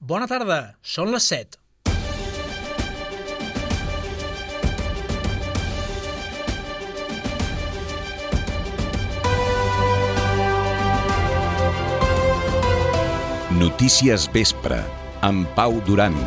Bona tarda, són les 7. Notícies Vespre, amb Pau Duran.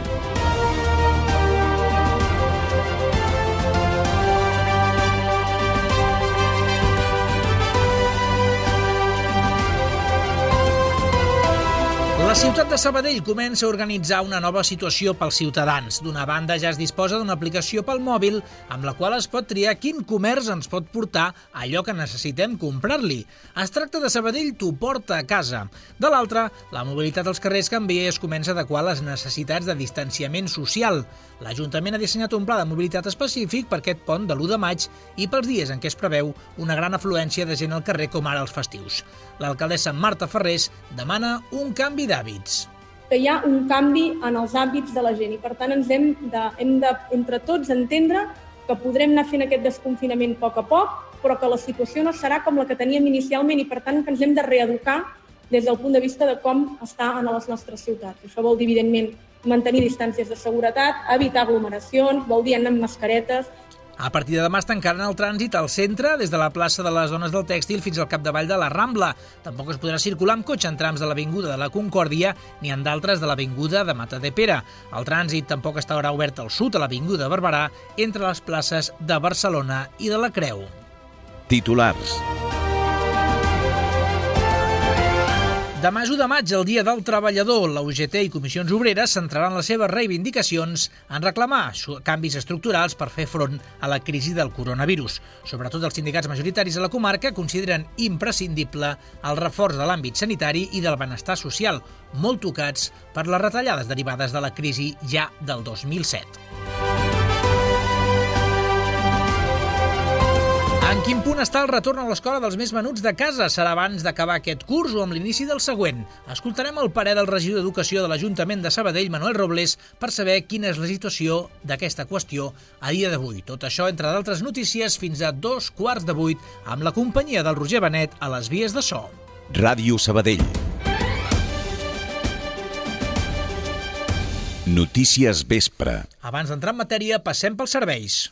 La ciutat de Sabadell comença a organitzar una nova situació pels ciutadans. D'una banda, ja es disposa d'una aplicació pel mòbil amb la qual es pot triar quin comerç ens pot portar allò que necessitem comprar-li. Es tracta de Sabadell t'ho porta a casa. De l'altra, la mobilitat als carrers canvia i es comença a adequar a les necessitats de distanciament social. L'Ajuntament ha dissenyat un pla de mobilitat específic per aquest pont de l'1 de maig i pels dies en què es preveu una gran afluència de gent al carrer com ara els festius. L'alcaldessa Marta Ferrés demana un canvi d'hàbits. Que hi ha un canvi en els hàbits de la gent i per tant ens hem de entre tots entendre que podrem anar fent aquest desconfinament a poc, però que la situació no serà com la que teníem inicialment i per tant que ens hem de reeducar des del punt de vista de com està en les nostres ciutats. Això vol dir, evidentment, mantenir distàncies de seguretat, evitar aglomeracions, vol dir anar amb mascaretes. A partir de demà es tancaran el trànsit al centre, des de la plaça de les Dones del Tèxtil fins al capdavall de la Rambla. Tampoc es podrà circular amb cotxe en trams de l'Avinguda de la Concòrdia ni en d'altres de l'Avinguda de Matadepera. El trànsit tampoc estarà obert al sud, a l'Avinguda Barberà, entre les places de Barcelona i de la Creu. Titulars. Demà és 1 de maig, el Dia del Treballador. La UGT i Comissions Obreres centraran les seves reivindicacions en reclamar canvis estructurals per fer front a la crisi del coronavirus. Sobretot els sindicats majoritaris a la comarca consideren imprescindible el reforç de l'àmbit sanitari i del benestar social, molt tocats per les retallades derivades de la crisi ja del 2007. En quin punt està el retorn a l'escola dels més menuts de casa? Serà abans d'acabar aquest curs o amb l'inici del següent? Escoltarem el parer del regidor d'Educació de l'Ajuntament de Sabadell, Manuel Robles, per saber quina és la situació d'aquesta qüestió a dia d'avui. Tot això, entre d'altres notícies, fins a 7:15, amb la companyia del Roger Benet a les vies de so. Ràdio Sabadell. Notícies Vespre. Abans d'entrar en matèria, passem pels serveis.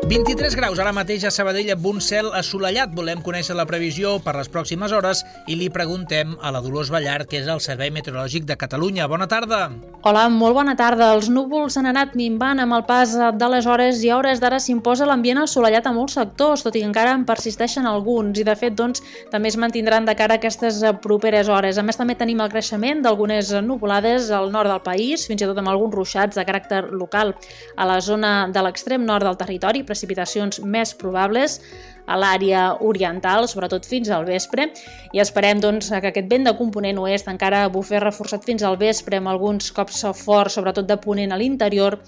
23 graus ara mateix a Sabadell amb un cel assolellat. Volem conèixer la previsió per les pròximes hores i li preguntem a la Dolors Ballart, que és el Servei Meteorològic de Catalunya. Bona tarda. Hola, molt bona tarda. Els núvols han anat minvant amb el pas de les hores i a hores d'ara s'imposa l'ambient assolellat a molts sectors, tot i que encara en persisteixen alguns i de fet també es mantindran de cara a aquestes properes hores. A més, també tenim el creixement d'algunes nuvolades al nord del país, fins i tot amb alguns ruixats de caràcter local a la zona de l'extrem nord del territori, precipitacions més probables a l'àrea oriental, sobretot fins al vespre, i esperem que aquest vent de component oest encara bufi reforçat fins al vespre, amb alguns cops forts, sobretot de ponent a l'interior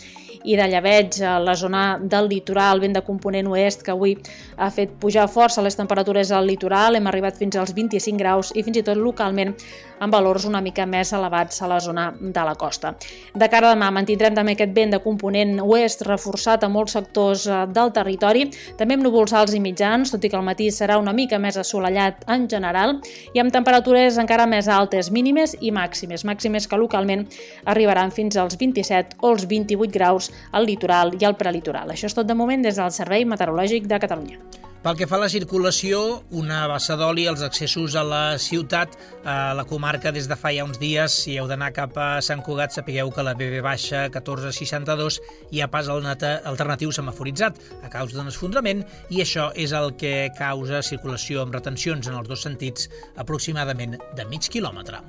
i de llebeig a la zona del litoral, vent de component oest que avui ha fet pujar força les temperatures al litoral, hem arribat fins als 25 graus i fins i tot localment amb valors una mica més elevats a la zona de la costa. De cara a demà mantindrem també aquest vent de component oest reforçat a molts sectors del territori, també amb núvols alts i mitjans, tot i que al matí serà una mica més assolellat en general, i amb temperatures encara més altes, mínimes i màximes que localment arribaran fins als 27 o els 28 graus al litoral i al prelitoral. Això és tot de moment des del Servei Meteorològic de Catalunya. Pel que fa a la circulació, una bassa d'oli als accessos a la ciutat, a la comarca des de fa ja uns dies. Si heu d'anar cap a Sant Cugat, sapigueu que la BB baixa 1462 hi ha pas alternatiu semaforitzat a causa d'un esfondrament i això és el que causa circulació amb retencions en els dos sentits aproximadament de mig quilòmetre.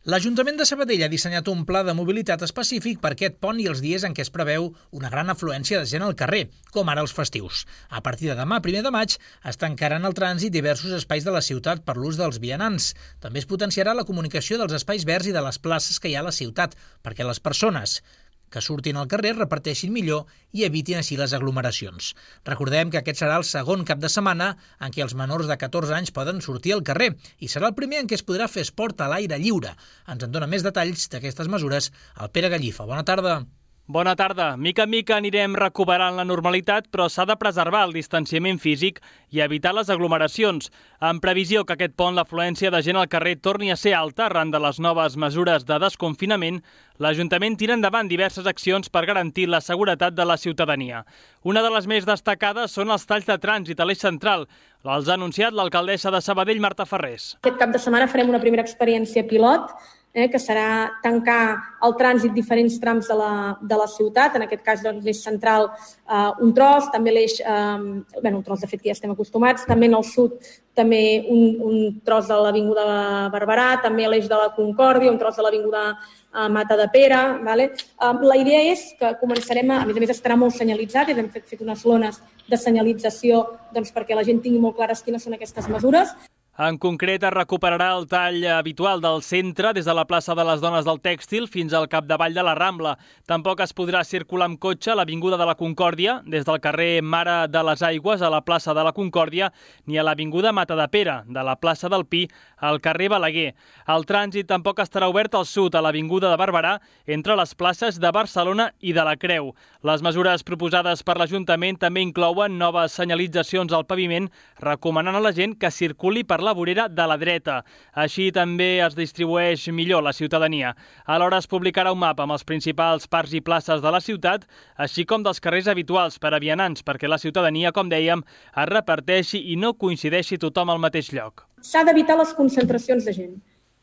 L'Ajuntament de Sabadell ha dissenyat un pla de mobilitat específic per aquest pont i els dies en què es preveu una gran afluència de gent al carrer, com ara els festius. A partir de demà, 1 de maig, es tancaran el trànsit diversos espais de la ciutat per l'ús dels vianants. També es potenciarà la comunicació dels espais verds i de les places que hi ha a la ciutat, perquè les persones que surtin al carrer reparteixin millor i evitin així les aglomeracions. Recordem que aquest serà el segon cap de setmana en què els menors de 14 anys poden sortir al carrer i serà el primer en què es podrà fer esport a l'aire lliure. Ens en dona més detalls d'aquestes mesures el Pere Gallifa. Bona tarda. Bona tarda. Mica en mica anirem recuperant la normalitat, però s'ha de preservar el distanciament físic i evitar les aglomeracions. En previsió que aquest pont l'afluència de gent al carrer torni a ser alta arran de les noves mesures de desconfinament, l'Ajuntament tira endavant diverses accions per garantir la seguretat de la ciutadania. Una de les més destacades són els talls de trànsit a l'eix central. Els ha anunciat l'alcaldessa de Sabadell, Marta Ferrés. Aquest cap de setmana farem una primera experiència pilot, que serà tancar el trànsit diferents trams de la ciutat, en aquest cas doncs, l'eix central un tros, també l'eix, un tros de fet que ja estem acostumats, també en el sud també un tros de l'Avinguda Barberà, també l'eix de la Concòrdia, un tros de l'Avinguda Matadepera. Vale? La idea és que començarem, a més estarà molt senyalitzat, i hem fet unes lones de senyalització doncs, perquè la gent tingui molt clares quines són aquestes mesures. En concret, es recuperarà el tall habitual del centre des de la plaça de les Dones del Tèxtil fins al capdavall de la Rambla. Tampoc es podrà circular amb cotxe a l'Avinguda de la Concòrdia, des del carrer Mare de les Aigües a la plaça de la Concòrdia, ni a l'Avinguda Matadepera, de la plaça del Pi al carrer Balaguer. El trànsit tampoc estarà obert al sud, a l'Avinguda de Barberà, entre les places de Barcelona i de la Creu. Les mesures proposades per l'Ajuntament també inclouen noves senyalitzacions al paviment, recomanant a la gent que circuli per la vorera de la dreta. Així també es distribueix millor la ciutadania. Alhora es publicarà un mapa amb els principals parcs i places de la ciutat, així com dels carrers habituals per a vianants, perquè la ciutadania, com dèiem, es reparteixi i no coincideixi tothom al mateix lloc. S'ha d'evitar les concentracions de gent.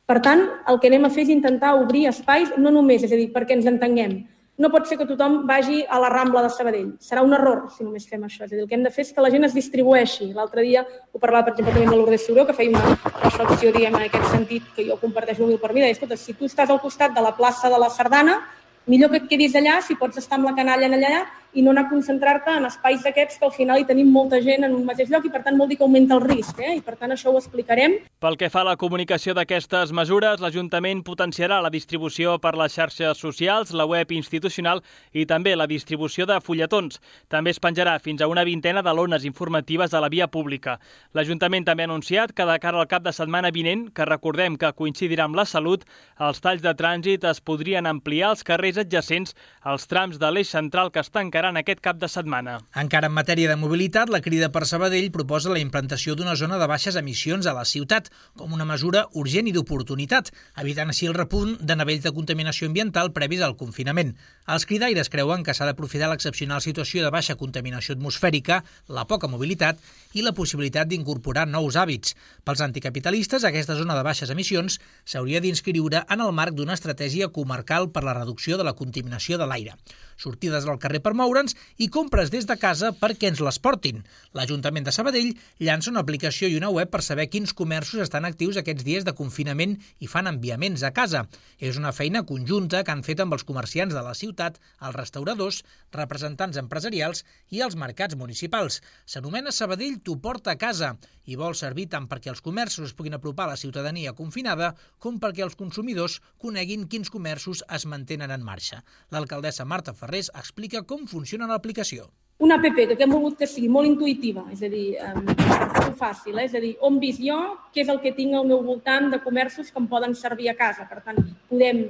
Per tant, el que anem a fer és intentar obrir espais, no només, és a dir, perquè ens entenguem. No pot ser que tothom vagi a la Rambla de Sabadell. Serà un error si només fem això. És a dir, el que hem de fer és que la gent es distribueixi. L'altre dia ho parlava, per exemple, també amb Lourdes Suró, que feia una reflexió, diguem, en aquest sentit, que jo comparteixo molt per mi. Deia, escolta, si tu estàs al costat de la plaça de la Sardana, millor que et quedis allà, si pots estar amb la canalla allà, i no anar a concentrar-te en espais d'aquests que al final hi tenim molta gent en un mateix lloc i per tant vol dir que augmenta el risc. I per tant això ho explicarem. Pel que fa a la comunicació d'aquestes mesures, l'Ajuntament potenciarà la distribució per les xarxes socials, la web institucional i també la distribució de fulletons. També es penjarà fins a una vintena de lones informatives a la via pública. L'Ajuntament també ha anunciat que de cara al cap de setmana vinent, que recordem que coincidirà amb la Salut, els talls de trànsit es podrien ampliar als carrers adjacents als trams de l'eix central que es tancaran aquest cap de setmana. Encara en matèria de mobilitat, la Crida per Sabadell proposa la implantació d'una zona de baixes emissions a la ciutat com una mesura urgent i d'oportunitat, evitant així el repunt de nivells de contaminació ambiental previs al confinament. Els cridaires creuen que s'ha d'aprofitar l'excepcional situació de baixa contaminació atmosfèrica, la poca mobilitat i la possibilitat d'incorporar nous hàbits. Pels anticapitalistes, aquesta zona de baixes emissions s'hauria d'inscriure en el marc d'una estratègia comarcal per la reducció de la contaminació de l'aire. Sortides al carrer per moure'ns i compres des de casa perquè ens les portin. L'Ajuntament de Sabadell llança una aplicació i una web per saber quins comerços estan actius aquests dies de confinament i fan enviaments a casa. És una feina conjunta que han fet amb els comerciants de la ciutat, els restauradors, representants empresarials i els mercats municipals. S'anomena Sabadell t'ho porta a casa i vol servir tant perquè els comerços es puguin apropar a la ciutadania confinada com perquè els consumidors coneguin quins comerços es mantenen en marxa. L'alcaldessa Marta Ferrés explica com funciona l'aplicació. Una app que hem volgut que sigui molt intuïtiva, és a dir, molt fàcil, és a dir, on visc jo, què és el que tinc al meu voltant de comerços que em poden servir a casa. Per tant, podem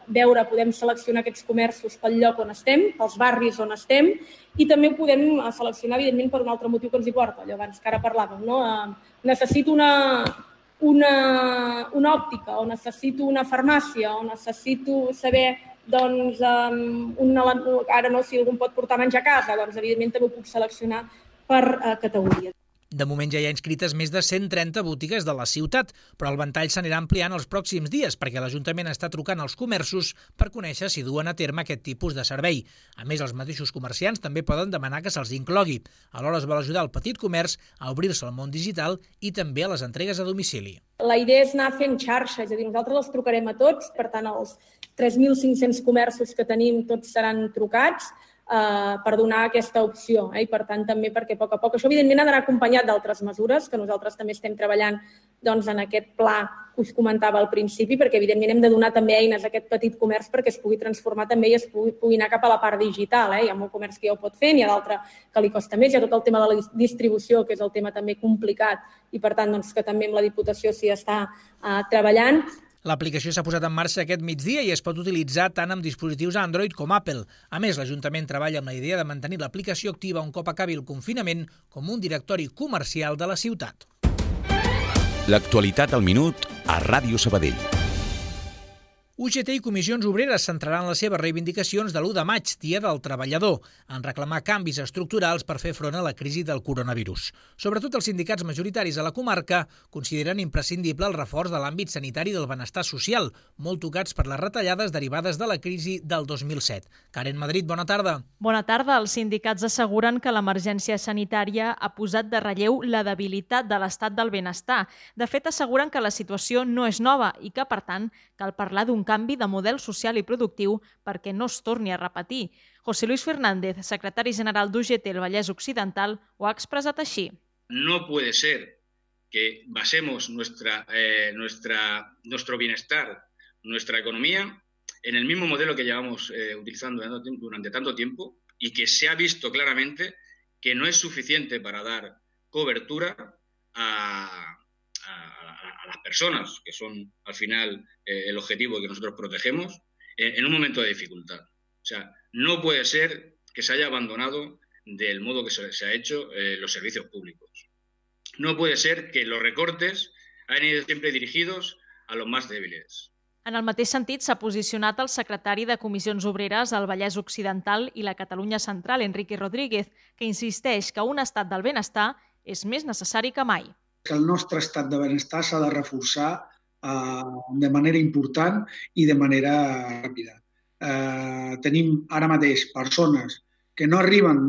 veure, podem seleccionar aquests comerços pel lloc on estem, pels barris on estem, i també ho podem seleccionar, evidentment, per un altre motiu que ens hi porta. Allò abans que ara parlàvem, no? Necessito una òptica, o necessito una farmàcia, o necessito saber, doncs, ara no, si algú pot portar menjar a casa, doncs, evidentment, també ho puc seleccionar per categoria. De moment ja hi ha inscrites més de 130 botigues de la ciutat, però el ventall s'anirà ampliant els pròxims dies perquè l'Ajuntament està trucant als comerços per conèixer si duen a terme aquest tipus de servei. A més, els mateixos comerciants també poden demanar que se'ls inclogui. Alhora es vol ajudar el petit comerç a obrir-se al món digital i també a les entregues a domicili. La idea és anar fent xarxa, és a dir, nosaltres els trucarem a tots, per tant, els 3.500 comerços que tenim tots seran trucats per donar aquesta opció. I per tant, també perquè a poc, això evidentment ha d'anar acompanyat d'altres mesures que nosaltres també estem treballant doncs, en aquest pla que us comentava al principi, perquè evidentment hem de donar també eines a aquest petit comerç perquè es pugui transformar també i es pugui anar cap a la part digital. Hi ha molt comerç que ja ho pot fer, n'hi ha d'altre que li costa més, hi ha tot el tema de la distribució, que és el tema també complicat i per tant doncs, que també amb la Diputació s'hi està treballant. L'aplicació s'ha posat en marxa aquest migdia i es pot utilitzar tant amb dispositius Android com Apple. A més, l'Ajuntament treballa amb la idea de mantenir l'aplicació activa un cop acabi el confinament com un directori comercial de la ciutat. L'actualitat al minut a Ràdio Sabadell. UGT i Comissions Obreres centraran les seves reivindicacions de l'1 de maig, Dia del Treballador, en reclamar canvis estructurals per fer front a la crisi del coronavirus. Sobretot els sindicats majoritaris a la comarca consideren imprescindible el reforç de l'àmbit sanitari del benestar social, molt tocats per les retallades derivades de la crisi del 2007. Karen Madrid, bona tarda. Bona tarda. Els sindicats asseguren que l'emergència sanitària ha posat de relleu la debilitat de l'estat del benestar. De fet, asseguren que la situació no és nova i que, per tant, cal parlar d'un canvi de model social i productiu perquè no es torni a repetir. José Luis Fernández, secretari general d'UGT al Vallès Occidental, ho ha expressat així. No puede ser que basemos nuestro bienestar, nuestra economía, en el mismo modelo que llevamos utilizando durante tanto tiempo y que se ha visto claramente que no es suficiente para dar cobertura a las personas, que son al final el objetivo que nosotros protegemos, en un momento de dificultad. O sea, no puede ser que se haya abandonado del modo que se ha hecho los servicios públicos. No puede ser que los recortes hayan ido siempre dirigidos a los más débiles. En el mateix sentit s'ha posicionat el secretari de Comissions Obreres al Vallès Occidental i la Catalunya Central, Enrique Rodríguez, que insisteix que un estat del benestar és més necessari que mai. Que el nostre estat de benestar s'ha de reforçar de manera important i de manera ràpida. Tenim ara mateix persones que no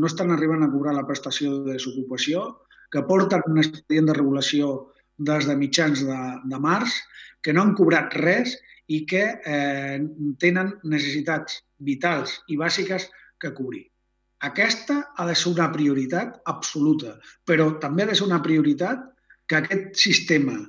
estan arribant a cobrar la prestació de desocupació, que porten un expedient de regulació des de mitjans de març, que no han cobrat res i que tenen necessitats vitals i bàsiques que cobrir. Aquesta ha de ser una prioritat absoluta, però també ha de ser una prioritat que aquest sistema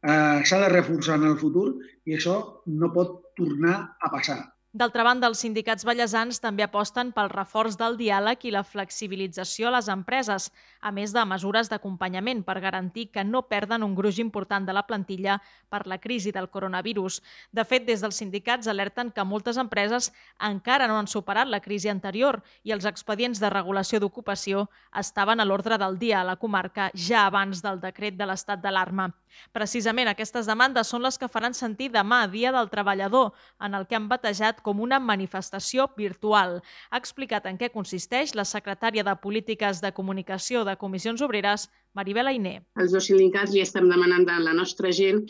s'ha de reforçar en el futur i això no pot tornar a passar. D'altra banda, els sindicats vallesans també aposten pel reforç del diàleg i la flexibilització a les empreses, a més de mesures d'acompanyament per garantir que no perden un gruix important de la plantilla per la crisi del coronavirus. De fet, des dels sindicats alerten que moltes empreses encara no han superat la crisi anterior i els expedients de regulació d'ocupació estaven a l'ordre del dia a la comarca ja abans del decret de l'estat d'alarma. Precisament aquestes demandes són les que faran sentir demà, Dia del Treballador, en el que han batejat com una manifestació virtual. Ha explicat en què consisteix la secretària de Polítiques de Comunicació de Comissions Obreres, Maribel Ainé. Els dos sindicats li estem demanant a la nostra gent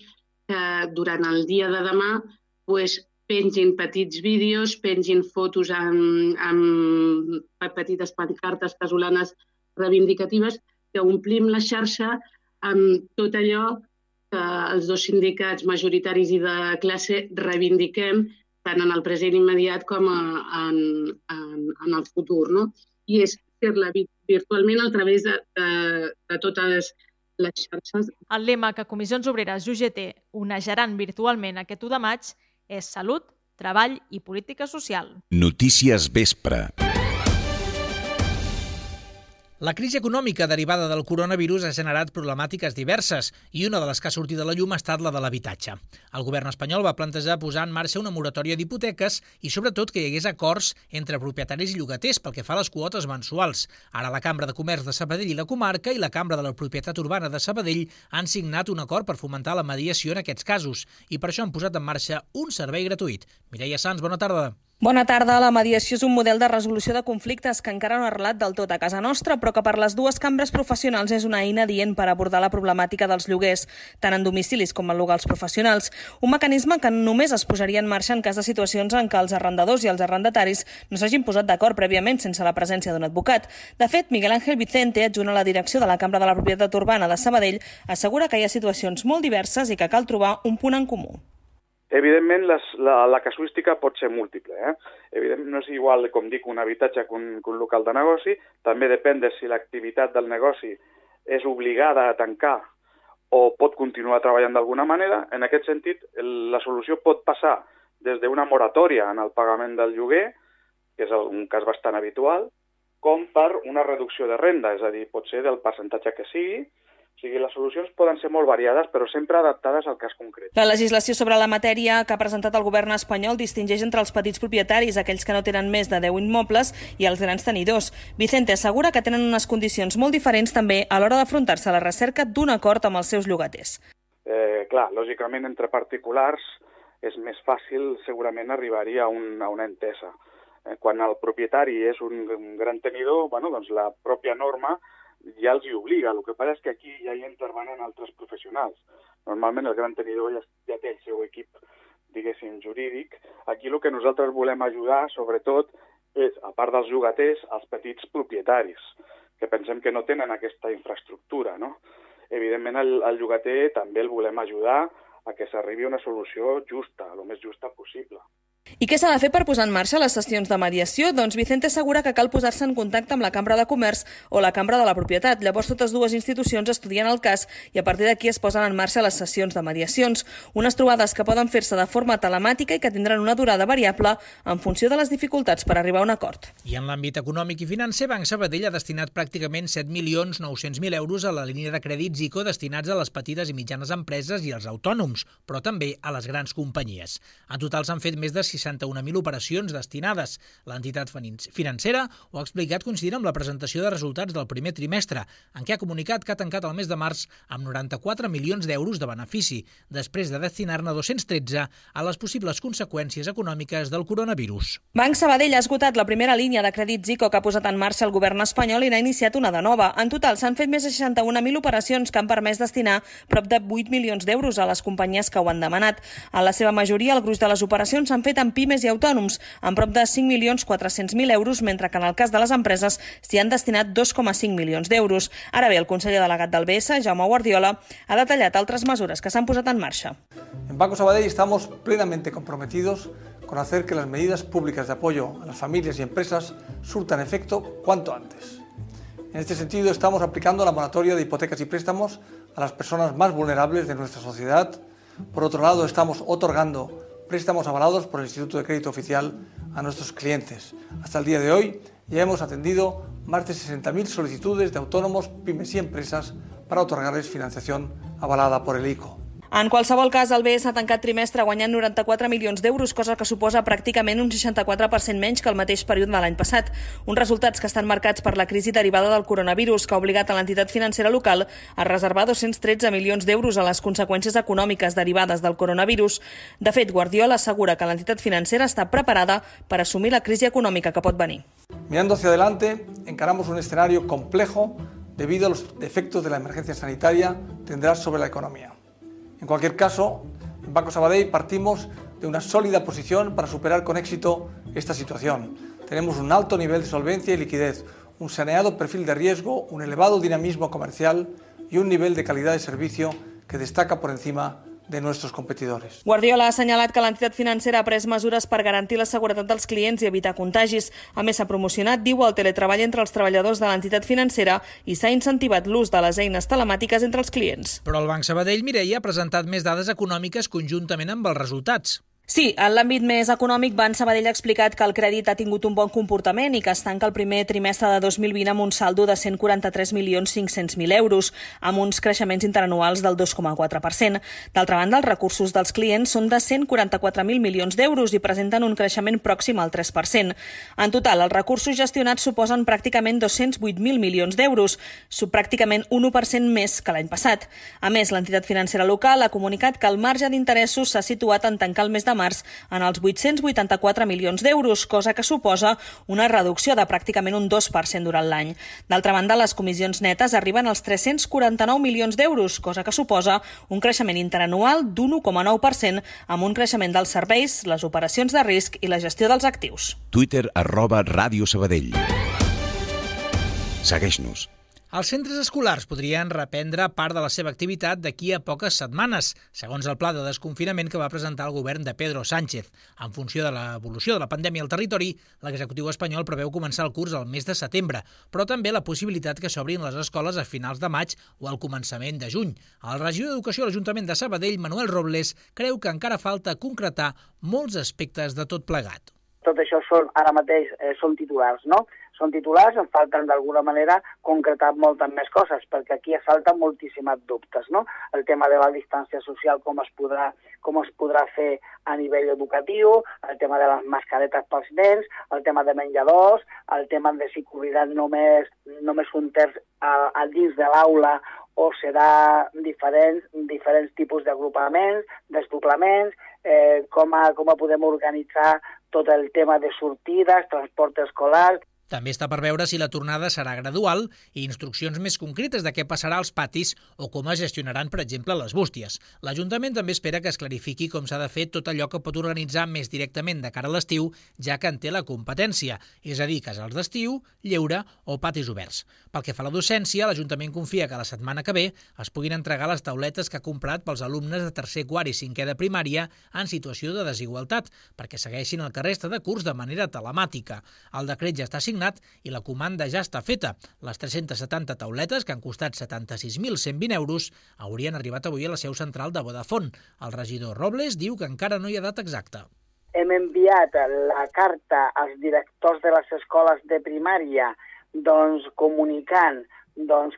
que durant el dia de demà pengin petits vídeos, pengin fotos amb petites pancartes casolanes reivindicatives, que omplim la xarxa amb tot allò que els dos sindicats majoritaris i de classe reivindiquem tant en el present immediat com en el futur, no? I és fer-la virtualment a través de totes les xarxes. El lema que Comissions Obreres i UGT onejaran virtualment aquest 1 de maig és Salut, Treball i Política Social. Notícies Vespre. La crisi econòmica derivada del coronavirus ha generat problemàtiques diverses i una de les que ha sortit a la llum ha estat la de l'habitatge. El govern espanyol va plantejar posar en marxa una moratòria d'hipoteques i sobretot que hi hagués acords entre propietaris i llogaters pel que fa a les quotes mensuals. Ara la Cambra de Comerç de Sabadell i la comarca i la Cambra de la Propietat Urbana de Sabadell han signat un acord per fomentar la mediació en aquests casos i per això han posat en marxa un servei gratuït. Mireia Sans, bona tarda. Bona tarda. La mediació és un model de resolució de conflictes que encara no ha arrelat del tot a casa nostra, però que per les dues cambres professionals és una eina adient per abordar la problemàtica dels lloguers, tant en domicilis com en locals professionals. Un mecanisme que només es posaria en marxa en cas de situacions en què els arrendadors i els arrendataris no s'hagin posat d'acord prèviament sense la presència d'un advocat. De fet, Miguel Ángel Vicente, adjunt a la direcció de la Cambra de la Propietat Urbana de Sabadell, assegura que hi ha situacions molt diverses i que cal trobar un punt en comú. Evidentment, la casuística pot ser múltiple. Evidentment, no és igual, com dic, un habitatge que un local de negoci. També depèn de si l'activitat del negoci és obligada a tancar o pot continuar treballant d'alguna manera. En aquest sentit, la solució pot passar des d'una moratòria en el pagament del lloguer, que és un cas bastant habitual, com per una reducció de renda, és a dir, pot ser del percentatge que sigui, O sigui, les solucions poden ser molt variades, però sempre adaptades al cas concret. La legislació sobre la matèria que ha presentat el govern espanyol distingeix entre els petits propietaris, aquells que no tenen més de 10 immobles, i els grans tenidors. Vicente assegura que tenen unes condicions molt diferents també a l'hora d'afrontar-se a la recerca d'un acord amb els seus llogaters. Clar, lògicament entre particulars és més fàcil segurament arribar-hi a una entesa. Quan el propietari és un gran tenidor, doncs la pròpia norma ja els hi obliga. El que passa és que aquí ja hi intervenen altres professionals. Normalment el gran tenidor ja té el seu equip, diguéssim, jurídic. Aquí el que nosaltres volem ajudar, sobretot, és, a part dels llogaters, els petits propietaris, que pensem que no tenen aquesta infraestructura, no? Evidentment, el llogater també el volem ajudar a que s'arribi a una solució justa, el més justa possible. I què s'ha de fer per posar en marxa les sessions de mediació? Doncs Vicente assegura que cal posar-se en contacte amb la Cambra de Comerç o la Cambra de la Propietat. Llavors totes dues institucions estudien el cas i a partir d'aquí es posen en marxa les sessions de mediacions. Unes trobades que poden fer-se de forma telemàtica i que tindran una durada variable en funció de les dificultats per arribar a un acord. I en l'àmbit econòmic i financer, Banc Sabadell ha destinat pràcticament 7.900.000 euros a la línia de crèdits ICO destinats a les petites i mitjanes empreses i als autònoms, però també a les grans companyies. En total s'han fet més de 61.000 operacions destinades. L'entitat financera ho ha explicat coincidint amb la presentació de resultats del primer trimestre, en què ha comunicat que ha tancat el mes de març amb 94 milions d'euros de benefici, després de destinar-ne 213 a les possibles conseqüències econòmiques del coronavirus. Banc Sabadell ha esgotat la primera línia de crèdits ICO que ha posat en marxa el govern espanyol i n'ha iniciat una de nova. En total s'han fet més de 61.000 operacions que han permès destinar prop de 8 milions d'euros a les companyies que ho han demanat. En la seva majoria, el gruix de les operacions s'han fet en pimes i autònoms, amb prop de 5.400.000 euros, mentre que en el cas de les empreses s'hi han destinat 2,5 milions d'euros. Ara bé, el conseller delegat del BS, Jaume Guardiola, ha detallat altres mesures que s'han posat en marxa. En Banco Sabadell estamos plenamente comprometidos con hacer que las medidas públicas de apoyo a las familias y empresas surtan efecto cuanto antes. En este sentido, estamos aplicando la moratoria de hipotecas y préstamos a las personas más vulnerables de nuestra sociedad. Por otro lado, estamos otorgando préstamos avalados por el Instituto de Crédito Oficial a nuestros clientes. Hasta el día de hoy ya hemos atendido más de 60.000 solicitudes de autónomos, pymes y empresas para otorgarles financiación avalada por el ICO. En qualsevol cas, el BS ha tancat trimestre guanyant 94 milions d'euros, cosa que suposa pràcticament un 64% menys que el mateix període de l'any passat. Uns resultats que estan marcats per la crisi derivada del coronavirus, que ha obligat a l'entitat financera local a reservar 213 milions d'euros a les conseqüències econòmiques derivades del coronavirus. De fet, Guardiola assegura que l'entitat financera està preparada per assumir la crisi econòmica que pot venir. Mirando hacia adelante, encaramos un escenario complejo debido a los efectos de la emergencia sanitaria tendrá sobre la economía. En cualquier caso, en Banco Sabadell partimos de una sólida posición para superar con éxito esta situación. Tenemos un alto nivel de solvencia y liquidez, un saneado perfil de riesgo, un elevado dinamismo comercial y un nivel de calidad de servicio que destaca por encima de nuestros competidores. Guardiola ha assenyalat que l'entitat financera ha pres mesures per garantir la seguretat dels clients i evitar contagis. A més, s'ha promocionat, diu, el teletreball entre els treballadors de l'entitat financera i s'ha incentivat l'ús de les eines telemàtiques entre els clients. Però el Banc Sabadell, Mireia, ha presentat més dades econòmiques conjuntament amb els resultats. Sí, en l'àmbit més econòmic, Banc Sabadell ha explicat que el crèdit ha tingut un bon comportament i que es tanca el primer trimestre de 2020 amb un saldo de 143.500.000 euros, amb uns creixements interanuals del 2,4%. D'altra banda, els recursos dels clients són de 144.000 milions d'euros i presenten un creixement pròxim al 3%. En total, els recursos gestionats suposen pràcticament 208.000 milions d'euros, pràcticament 1% més que l'any passat. A més, l'entitat financera local ha comunicat que el marge d'interessos s'ha situat en tancar el mes de març en els 884 milions d'euros, cosa que suposa una reducció de pràcticament un 2% durant l'any. D'altra banda, les comissions netes arriben als 349 milions d'euros, cosa que suposa un creixement interanual d'un 1,9% amb un creixement dels serveis, les operacions de risc i la gestió dels actius. Twitter @Ràdio Sabadell. Segueix-nos. Els centres escolars podrien reprendre part de la seva activitat d'aquí a poques setmanes, segons el pla de desconfinament que va presentar el govern de Pedro Sánchez. En funció de l'evolució de la pandèmia al territori, l'executiu espanyol preveu començar el curs al mes de setembre, però també la possibilitat que s'obrin les escoles a finals de maig o al començament de juny. El regidor d'Educació a l'Ajuntament de Sabadell, Manuel Robles, creu que encara falta concretar molts aspectes de tot plegat. Tot això ara mateix són titulars, no? són titulars, en falten d'alguna manera concretar moltes més coses, perquè aquí salten moltíssims dubtes, no? El tema de la distància social, com es podrà fer a nivell educatiu, el tema de les mascaretes pels nens, el tema de menjadors, el tema de si cobriran només un terç al dins de l'aula o serà diferents tipus d'agrupaments, desdoblaments, com podem organitzar tot el tema de sortides, transport escolar. També està per veure si la tornada serà gradual i instruccions més concretes de què passarà als patis o com es gestionaran, per exemple, les bústies. L'Ajuntament també espera que es clarifiqui com s'ha de fer tot allò que pot organitzar més directament de cara a l'estiu, ja que en té la competència, és a dir, casals d'estiu, lleure o patis oberts. Pel que fa a la docència, l'Ajuntament confia que la setmana que ve es puguin entregar les tauletes que ha comprat pels alumnes de tercer, quart i cinquè de primària en situació de desigualtat, perquè segueixin el que resta de curs de manera telemàtica. El decret ja està signat i la comanda ja està feta. Les 370 tauletes, que han costat 76.120 euros, haurien arribat avui a la seu central de Vodafone. El regidor Robles diu que encara no hi ha data exacta. Hem enviat la carta als directors de les escoles de primària comunicant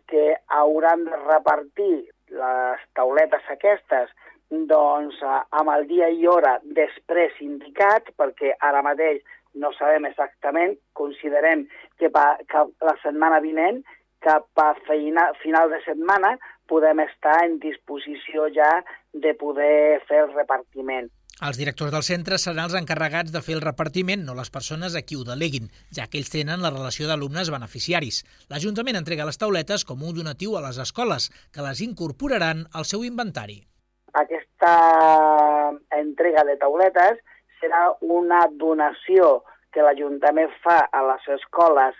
que hauran de repartir les tauletes aquestes amb el dia i hora després indicat, perquè ara mateix no sabem exactament, considerem que la setmana vinent, cap a final de setmana, podem estar en disposició ja de poder fer el repartiment. Els directors del centre seran els encarregats de fer el repartiment, no les persones a qui ho deleguin, ja que ells tenen la relació d'alumnes beneficiaris. L'Ajuntament entrega les tauletes com un donatiu a les escoles, que les incorporaran al seu inventari. Aquesta entrega de tauletes serà una donació que l'Ajuntament fa a les escoles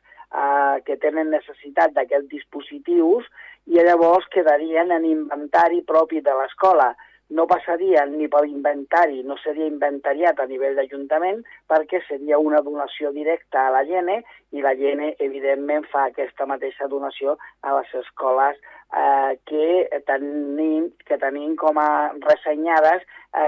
que tenen necessitat d'aquests dispositius i llavors quedarien en inventari propi de l'escola. No passarien ni per l'inventari, no seria inventariat a nivell d'Ajuntament perquè seria una donació directa a la GENE i la GENE, evidentment, fa aquesta mateixa donació a les escoles que tenim com a ressenyades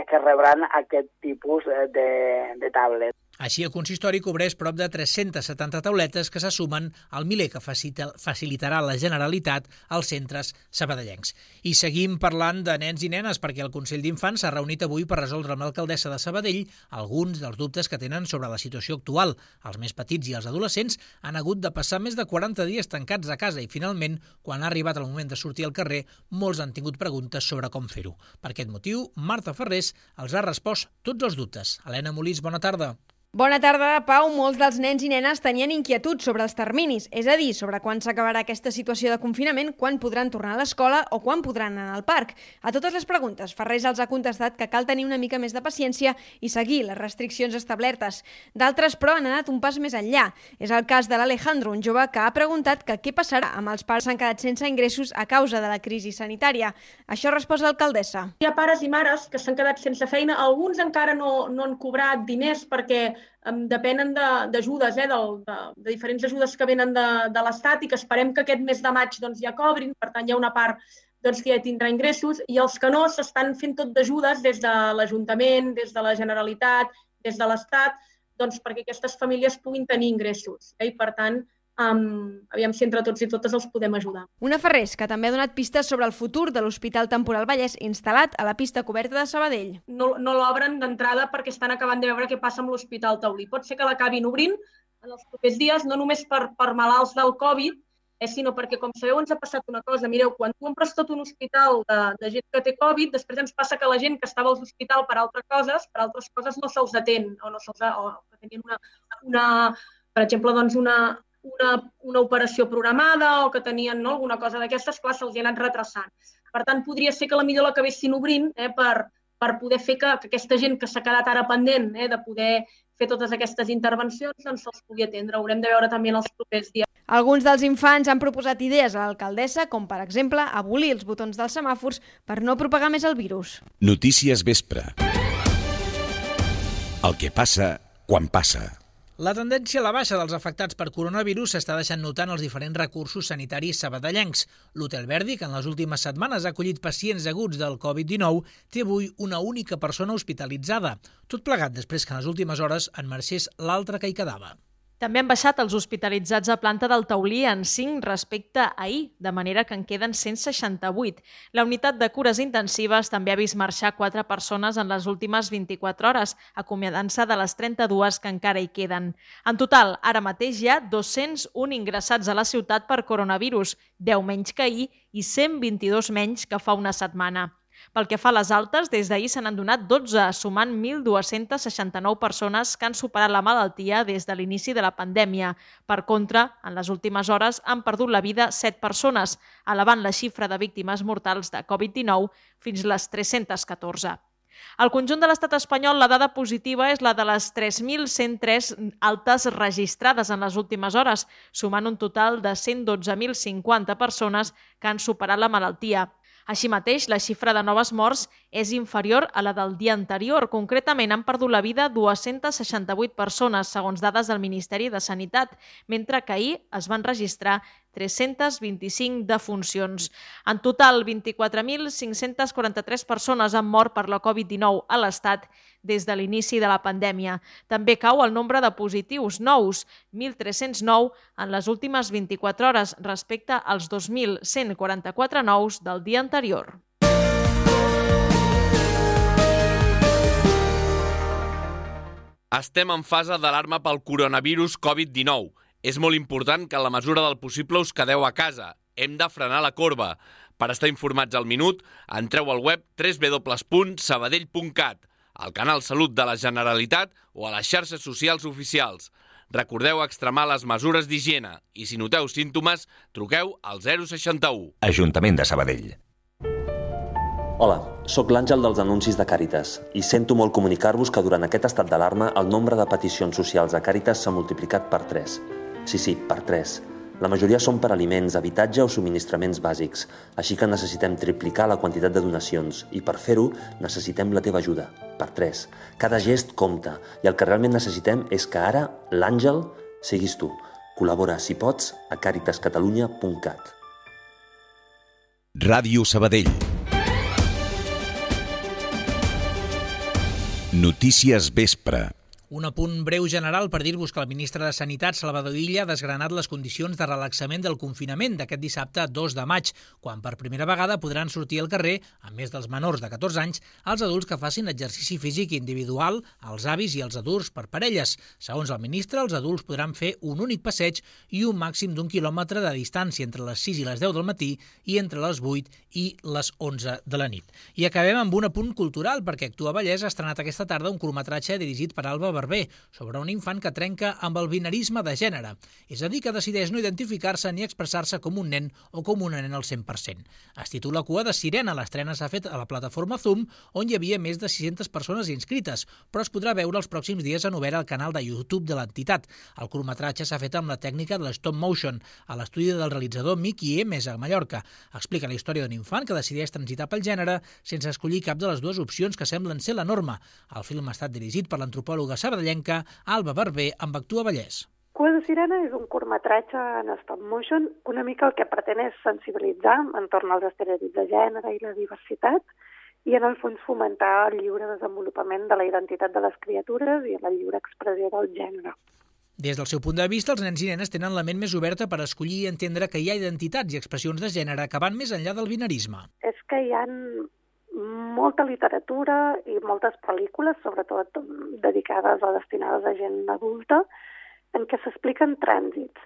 que rebran aquest tipus de tablet. Així, el consistori cobreix prop de 370 tauletes que se sumen al miler que facilitarà la Generalitat als centres sabadellencs. I seguim parlant de nens i nenes perquè el Consell d'Infants s'ha reunit avui per resoldre amb l'alcaldessa de Sabadell alguns dels dubtes que tenen sobre la situació actual. Els més petits i els adolescents han hagut de passar més de 40 dies tancats a casa i, finalment, quan ha arribat el moment de sortir al carrer, molts han tingut preguntes sobre com fer-ho. Per aquest motiu, Marta Ferrés els ha respost tots els dubtes. Helena Molís, bona tarda. Bona tarda, Pau. Molts dels nens i nenes tenien inquietuds sobre els terminis, és a dir, sobre quan s'acabarà aquesta situació de confinament, quan podran tornar a l'escola o quan podran anar al parc. A totes les preguntes, Ferrés els ha contestat que cal tenir una mica més de paciència i seguir les restriccions establertes. D'altres, però, han anat un pas més enllà. És el cas de l'Alejandro, un jove que ha preguntat que què passarà amb els pares que han quedat sense ingressos a causa de la crisi sanitària. Això resposa l'alcaldessa. Hi ha pares i mares que s'han quedat sense feina, alguns encara no han cobrat diners perquè depenen d'ajudes, de diferents ajudes que venen de l'Estat i que esperem que aquest mes de maig ja cobrin, per tant hi ha una part que ja tindrà ingressos i els que no s'estan fent tot d'ajudes des de l'Ajuntament, des de la Generalitat, des de l'Estat, perquè aquestes famílies puguin tenir ingressos. I per tant, aviam si entre tots i totes els podem ajudar. Una Ferrés que també ha donat pistes sobre el futur de l'Hospital Temporal Vallès instal·lat a la pista coberta de Sabadell. No l'obren d'entrada perquè estan acabant de veure què passa amb l'Hospital Taulí. Pot ser que l'acabin obrint en els propers dies, no només per malalts del Covid, sinó perquè, com sabeu, ens ha passat una cosa. Mireu, quan tu omples tot un hospital de gent que té Covid, després ens passa que la gent que estava a l'hospital per altres coses no se'ls atén, o que tenien per exemple, una operació programada o que tenien alguna cosa d'aquestes, clar, se'ls ha anat retrasant. Per tant, podria ser que potser l'acabessin obrint per poder fer que aquesta gent que s'ha quedat ara pendent de poder fer totes aquestes intervencions se'ls pugui atendre. Ho haurem de veure també en els propers dies. Alguns dels infants han proposat idees a l'alcaldessa, com per exemple abolir els botons dels semàfors per no propagar més el virus. Notícies vespre. El que passa quan passa. La tendència a la baixa dels afectats per coronavirus s'està deixant notar en els diferents recursos sanitaris sabadellencs. L'Hotel Verdi, que en les últimes setmanes ha acollit pacients aguts del Covid-19, té avui una única persona hospitalitzada. Tot plegat després que en les últimes hores en marxés l'altre que hi quedava. També han baixat els hospitalitzats a planta del Taulí en 5 respecte a ahir, de manera que en queden 168. La unitat de cures intensives també ha vist marxar 4 persones en les últimes 24 hores, acomiadant-se de les 32 que encara hi queden. En total, ara mateix hi ha 201 ingressats a la ciutat per coronavirus, 10 menys que ahir i 122 menys que fa una setmana. Pel que fa a les altes, des d'ahir se n'han donat 12, sumant 1.269 persones que han superat la malaltia des de l'inici de la pandèmia. Per contra, en les últimes hores han perdut la vida 7 persones, elevant la xifra de víctimes mortals de Covid-19 fins a les 314. Al conjunt de l'estat espanyol, la dada positiva és la de les 3.103 altes registrades en les últimes hores, sumant un total de 112.050 persones que han superat la malaltia. Així mateix, la xifra de noves morts és inferior a la del dia anterior. Concretament, han perdut la vida 268 persones, segons dades del Ministeri de Sanitat, mentre que ahir es van registrar 325 defuncions. En total, 24.543 persones han mort per la Covid-19 a l'Estat des de l'inici de la pandèmia. També cau el nombre de positius nous, 1.309 en les últimes 24 hores respecte als 2.144 nous del dia anterior. Estem en fase d'alarma pel coronavirus Covid-19. És molt important que en la mesura del possible us quedeu a casa. Hem de frenar la corba. Per estar informats al minut, entreu al web www.sabadell.cat, al canal Salut de la Generalitat o a les xarxes socials oficials. Recordeu extremar les mesures d'higiene i si noteu símptomes, truqueu al 061. Ajuntament de Sabadell. Hola, sóc l'Àngel dels anuncis de Càritas i sento molt comunicar-vos que durant aquest estat d'alarma el nombre de peticions socials a Càritas s'ha multiplicat per 3. Sí, per 3. La majoria són per aliments, habitatge o subministraments bàsics, així que necessitem triplicar la quantitat de donacions i per fer-ho necessitem la teva ajuda, per 3. Cada gest compta i el que realment necessitem és que ara l'Àngel siguis tu. Col·labora, si pots, a caritascatalunya.cat. Ràdio Sabadell. Notícies Vespre. Un apunt breu general per dir-vos que el ministre de Sanitat, Salvador Illa, ha desgranat les condicions de relaxament del confinament d'aquest dissabte 2 de maig, quan per primera vegada podran sortir al carrer, a més dels menors de 14 anys, els adults que facin exercici físic individual, els avis i els adults per parelles. Segons el ministre, els adults podran fer un únic passeig i un màxim d'1 quilòmetre de distància entre les 6 i les 10 del matí i entre les 8 i les 11 de la nit. I acabem amb un apunt cultural, perquè Actua Vallès ha estrenat aquesta tarda un curtmetratge dirigit per Alba Barber, sobre un infant que trenca amb el binarisme de gènere, és a dir, que decideix no identificar-se ni expressar-se com un nen o com una nena al 100%. Es titula Cua de Sirena, l'estrena s'ha fet a la plataforma Zoom, on hi havia més de 600 persones inscrites, però es podrà veure els pròxims dies en obert al canal de YouTube de l'entitat. El curtmetratge s'ha fet amb la tècnica de l'stop motion, a l'estudi del realitzador Miki Emes a Mallorca. Explica la història d'un infant que decideix transitar pel gènere sense escollir cap de les dues opcions que semblen ser la norma. El film ha estat dirigit per l'antropòloga sabadellenca Alba Barber amb Actua Vallès. Cua de Sirena és un curtmetratge en stop motion. Una mica el que pretén és sensibilitzar entorn als estereotips de gènere i la diversitat i en el fons fomentar el lliure desenvolupament de la identitat de les criatures i la lliure expressió del gènere. Des del seu punt de vista, els nens i nenes tenen la ment més oberta per escollir i entendre que hi ha identitats i expressions de gènere que van més enllà del binarisme. És que hi ha molta literatura i moltes pel·lícules, sobretot dedicades o destinades a gent adulta, en què s'expliquen trànsits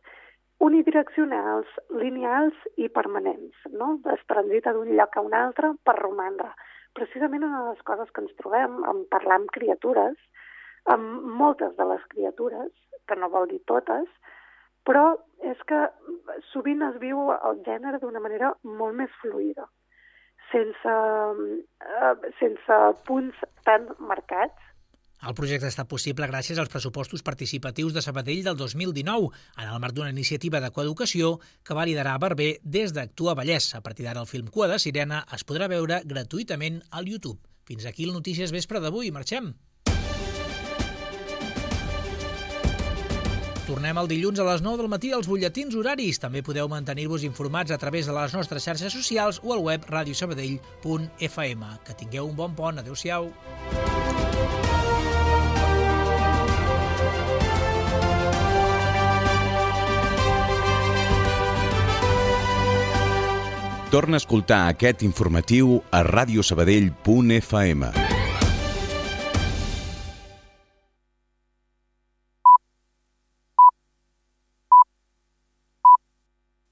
unidireccionals, lineals i permanents. No? Es transita d'un lloc a un altre per romandre. Precisament una de les coses que ens trobem en parlar amb criatures, amb moltes de les criatures, que no vol dir totes, però és que sovint es viu el gènere d'una manera molt més fluida, sense punts tan marcats. El projecte ha estat possible gràcies als pressupostos participatius de Sabadell del 2019, en el marc d'una iniciativa de coeducació que va liderar Barber des d'Actua Vallès. A partir d'ara el film Cua de Sirena es podrà veure gratuïtament al YouTube. Fins aquí el Notícies Vespre d'avui. Marxem! Tornem el dilluns a les 9 del matí als butlletins horaris. També podeu mantenir-vos informats a través de les nostres xarxes socials o al web radiosabadell.fm. Que tingueu un bon pont. Adéu-siau. Torna a escoltar aquest informatiu a radiosabadell.fm.